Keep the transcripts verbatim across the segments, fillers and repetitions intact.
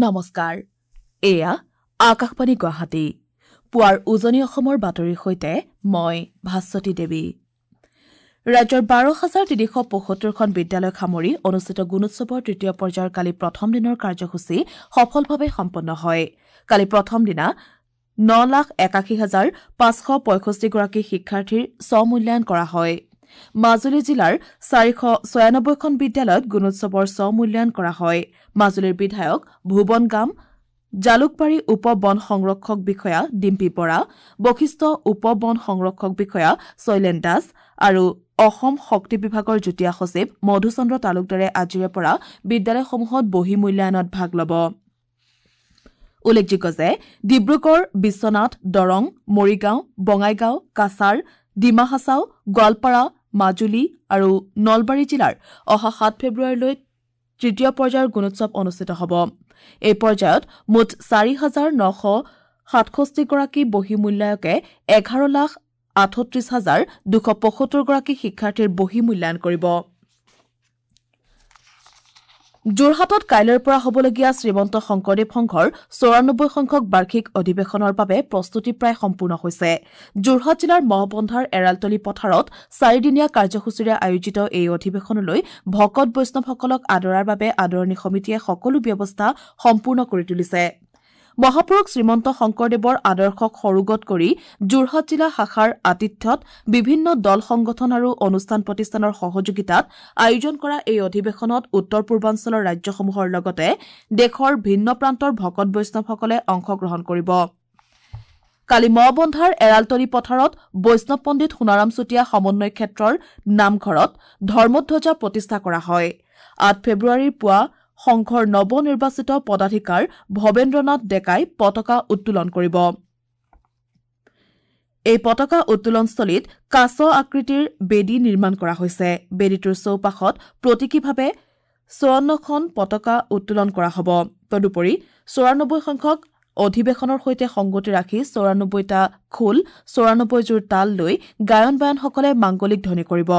নমস্কাৰ, এয়া আকাশবাণী গুৱাহাটী। পুৱাৰ উজনি অসমৰ বাতৰিৰ সৈতে মই ভাস্বতী দেৱী। ৰাজ্যৰ বাৰ হাজাৰ তিনিশ পঁয়সত্তৰখন বিদ্যালয়ক সামৰি অনুষ্ঠিত গুণোৎসৱৰ তৃতীয় পৰ্যায়ৰ কালি প্ৰথম দিনৰ কাৰ্যসূচী সফলভাৱে সম্পন্ন হয়। কালি প্ৰথম দিনা ন লাখ একাশী হাজাৰ পাঁচশ পঁয়ষষ্ঠিগৰাকী শিক্ষাৰ্থীৰ স্বমূল্যায়ন কৰা হয়। মাজুলী জিলাৰ চাৰিশ ছয়ানব্বৈখন বিদ্যালয়ত গুণোৎসৱৰ স্বমূল্যায়ন কৰা হয়। মাজুলীৰ বিধায়ক ভুৱন গাম, জালুকবাৰী উপ বন সংৰক্ষক বিষয়া ডিম্পী বৰা, বশিষ্ঠ উপ বন সংৰক্ষক বিষয়া শৈলেন দাস আৰু অসম শক্তি বিভাগৰ যুটীয়া সচিব মধুচন্দ্ৰ তালুকদাৰে আজিৰে পৰা বিদ্যালয়সমূহত বহী মূল্যায়নত ভাগ ল'ব। উল্লেখযোগ্য যে ডিব্ৰুগড়, বিশ্বনাথ, দৰং, মৰিগাঁও, বঙাইগাঁও, কাছাৰ, ডিমা হাছাও, গোৱালপাৰা, মাজুলী আৰু নলবাৰী জিলাৰ অহা সাত ফেব্ৰুৱাৰীলৈ তৃতীয় পৰ্যায়ৰ গুণোৎসৱ অনুষ্ঠিত হ'ব। এই পৰ্যায়ত মুঠ চাৰি হাজাৰ নশ সাতষষ্ঠিগৰাকী বহী মূল্যায়কে এঘাৰ লাখ আঠত্ৰিশ হাজাৰ দুশ পঁয়সত্তৰগৰাকী শিক্ষাৰ্থীৰ বহী মূল্যায়ন কৰিব। যোৰহাটত কাইলৈৰ পৰা হ'বলগীয়া শ্ৰীমন্ত শংকৰদেৱ সংঘৰ চৌৰানব্বৈ সংখ্যক বাৰ্ষিক অধিৱেশনৰ বাবে প্ৰস্তুতি প্ৰায় সম্পূৰ্ণ হৈছে। যোৰহাট জিলাৰ মহবন্ধাৰ এৰালতলী পথাৰত চাৰিদিনীয়া কাৰ্যসূচীৰে আয়োজিত এই অধিৱেশনলৈ ভকত বৈষ্ণৱসকলক আদৰাৰ বাবে আদৰণি সমিতিয়ে সকলো ব্যৱস্থা সম্পূৰ্ণ কৰি তুলিছে। মহাপুৰুষ শ্ৰীমন্ত শংকৰদেৱৰ আদৰ্শক সৰোগত কৰি যোৰহাট জিলা শাখাৰ আতিথ্যত বিভিন্ন দল সংগঠন আৰু অনুষ্ঠান প্ৰতিষ্ঠানৰ সহযোগিতাত আয়োজন কৰা এই অধিৱেশনত উত্তৰ পূৰ্বাঞ্চলৰ ৰাজ্যসমূহৰ লগতে দেশৰ ভিন্ন প্ৰান্তৰ ভকত বৈষ্ণৱসকলে অংশগ্ৰহণ কৰিব। কালি মহবন্ধাৰ এৰালতলী পথাৰত বৈষ্ণৱ পণ্ডিত সোণাৰাম চুতীয়া সমন্বয় ক্ষেত্ৰৰ নামঘৰত ধৰ্মধ্বজা প্ৰতিষ্ঠা কৰা হয়। আঠ ফেব্ৰুৱাৰীৰ পুৱা সংঘৰ নৱনিৰ্বাচিত পদাধিকাৰ ভৱেন্দ্ৰনাথ ডেকাই পতাকা উত্তোলন কৰিব। এই পতাকা উত্তোলনস্থলীত কাছ আকৃতিৰ বেদী নিৰ্মাণ কৰা হৈছে। বেদীটোৰ চৌপাশত প্ৰতীকীভাৱে চৌৱন্নখন পতাকা উত্তোলন কৰা হ'ব। তদুপৰি চৌৰানব্বৈ সংখ্যক অধিৱেশনৰ সৈতে সংগতি ৰাখি চৌৰানব্বৈটা খোল, চৌৰানব্বৈযোৰ তাল লৈ গায়ন বায়নসকলে মাংগলিক ধ্বনি কৰিব।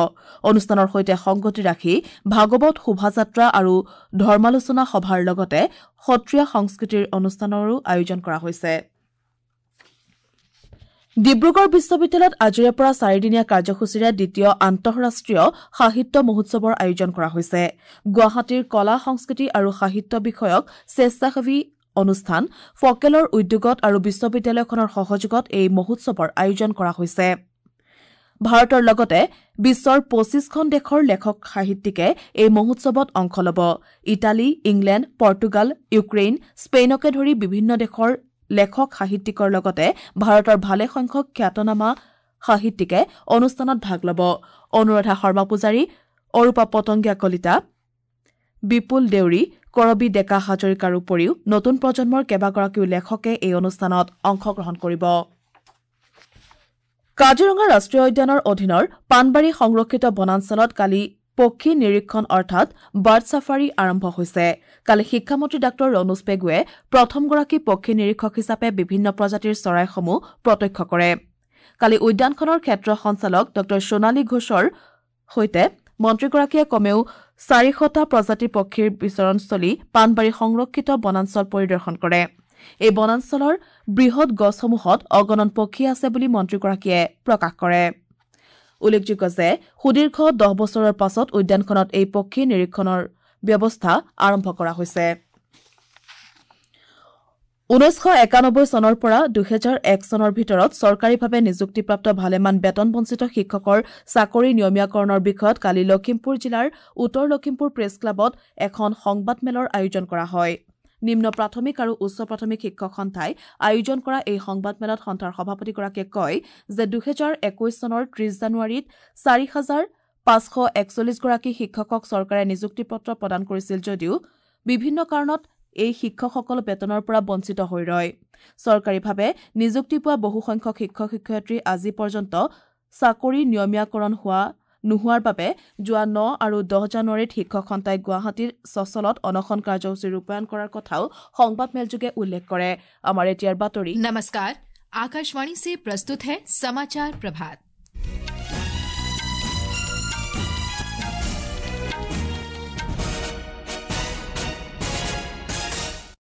অনুষ্ঠানৰ সৈতে সংগতি ৰাখি ভাগৱত শোভাযাত্ৰা আৰু ধৰ্মালোচনা সভাৰ লগতে সত্ৰীয়া সংস্কৃতিৰ অনুষ্ঠানৰো আয়োজন কৰা হৈছে। ডিব্ৰুগড় বিশ্ববিদ্যালয়ত আজিৰে পৰা চাৰিদিনীয়া কাৰ্যসূচীৰে দ্বিতীয় আন্তঃৰাষ্ট্ৰীয় সাহিত্য মহোৎসৱৰ আয়োজন কৰা হৈছে। গুৱাহাটীৰ কলা, সংস্কৃতি আৰু সাহিত্য বিষয়ক স্বেচ্ছাসেৱী অনুষ্ঠান ফকেলৰ উদ্যোগত আৰু বিশ্ববিদ্যালয়খনৰ সহযোগত এই মহোৎসৱৰ আয়োজন কৰা হৈছে। ভাৰতৰ লগতে বিশ্বৰ পঁচিছখন দেশৰ লেখক সাহিত্যিকে এই মহোৎসৱত অংশ ল'ব। ইটালী, ইংলেণ্ড, পৰ্তুগাল, ইউক্ৰেইন, স্পেইনকে ধৰি বিভিন্ন দেশৰ লেখক সাহিত্যিকৰ লগতে ভাৰতৰ ভালেসংখ্যক খ্যাতনামা সাহিত্যিকে অনুষ্ঠানত ভাগ ল'ব। অনুৰাধা শৰ্মা পূজাৰী, অৰূপা পতংগীয়া কলিতা, বিপুল দেউৰী, কৰবী ডেকা হাজৰিকাৰ উপৰিও নতুন প্ৰজন্মৰ কেইবাগৰাকীও লেখকে এই অনুষ্ঠানত অংশগ্ৰহণ কৰিব। কাজিৰঙা ৰাষ্ট্ৰীয় উদ্যানৰ অধীনৰ পাণবাৰী সংৰক্ষিত বনাঞ্চলত কালি পক্ষী নিৰীক্ষণ অৰ্থাৎ বাৰ্ড ছাফাৰী আৰম্ভ হৈছে। কালি শিক্ষামন্ত্ৰী ডাঃ ৰণোজ পেগুৱে প্ৰথমগৰাকী পক্ষী নিৰীক্ষক হিচাপে বিভিন্ন প্ৰজাতিৰ চৰাইসমূহ প্ৰত্যক্ষ কৰে। কালি উদ্যানখনৰ ক্ষেত্ৰ সঞ্চালক ডাঃ সোণালী ঘোষৰ সৈতে মন্ত্ৰীগৰাকীয়ে কমেও চাৰিশটা প্ৰজাতিৰ পক্ষীৰ বিচৰণস্থলী পাণবাৰী সংৰক্ষিত বনাঞ্চল পৰিদৰ্শন কৰে। এই বনাঞ্চলৰ বৃহৎ গছসমূহত অগণন পক্ষী আছে বুলি মন্ত্ৰীগৰাকীয়ে প্ৰকাশ কৰে। উল্লেখযোগ্য যে সুদীৰ্ঘ দহ বছৰৰ পাছত উদ্যানখনত এই পক্ষী নিৰীক্ষণৰ ব্যৱস্থা আৰম্ভ কৰা হৈছে। ঊনৈছশ একানব্বৈ চনৰ পৰা দুহেজাৰ এক চনৰ ভিতৰত চৰকাৰীভাৱে নিযুক্তিপ্ৰাপ্ত ভালেমান বেতন বঞ্চিত শিক্ষকৰ চাকৰি নিয়মীয়াকৰণৰ বিষয়ত কালি লখিমপুৰ জিলাৰ উত্তৰ লখিমপুৰ প্ৰেছ ক্লাবত এখন সংবাদমেলৰ আয়োজন কৰা হয়। নিম্ন প্ৰাথমিক আৰু উচ্চ প্ৰাথমিক শিক্ষক সন্থাই আয়োজন কৰা এই সংবাদমেলত সন্থাৰ সভাপতিগৰাকীয়ে কয় যে দুহেজাৰ একৈশ চনৰ ত্ৰিশ জানুৱাৰীত চাৰি হাজাৰ পাঁচশ একচল্লিছগৰাকী শিক্ষকক চৰকাৰে নিযুক্তি পত্ৰ প্ৰদান কৰিছিল যদিও বিভিন্ন কাৰণত এই শিক্ষকসকল বেতনৰ পৰা বঞ্চিত হৈ ৰয়। চৰকাৰীভাৱে নিযুক্তি পোৱা বহুসংখ্যক শিক্ষক শিক্ষয়িত্ৰী আজি পৰ্যন্ত চাকৰি নিয়মীয়াকৰণ হোৱা নোহোৱাৰ বাবে যোৱা ন আৰু দহ জানুৱাৰীত শিক্ষক সন্থাই গুৱাহাটীৰ চচলত অনশন কাৰ্যসূচী ৰূপায়ণ কৰাৰ কথাও সংবাদমেলযোগে উল্লেখ কৰে। আমাৰ এতিয়াৰ বাতৰি। नमस्कार, आकाशवाणी से प्रस्तुत है समाचार प्रभात।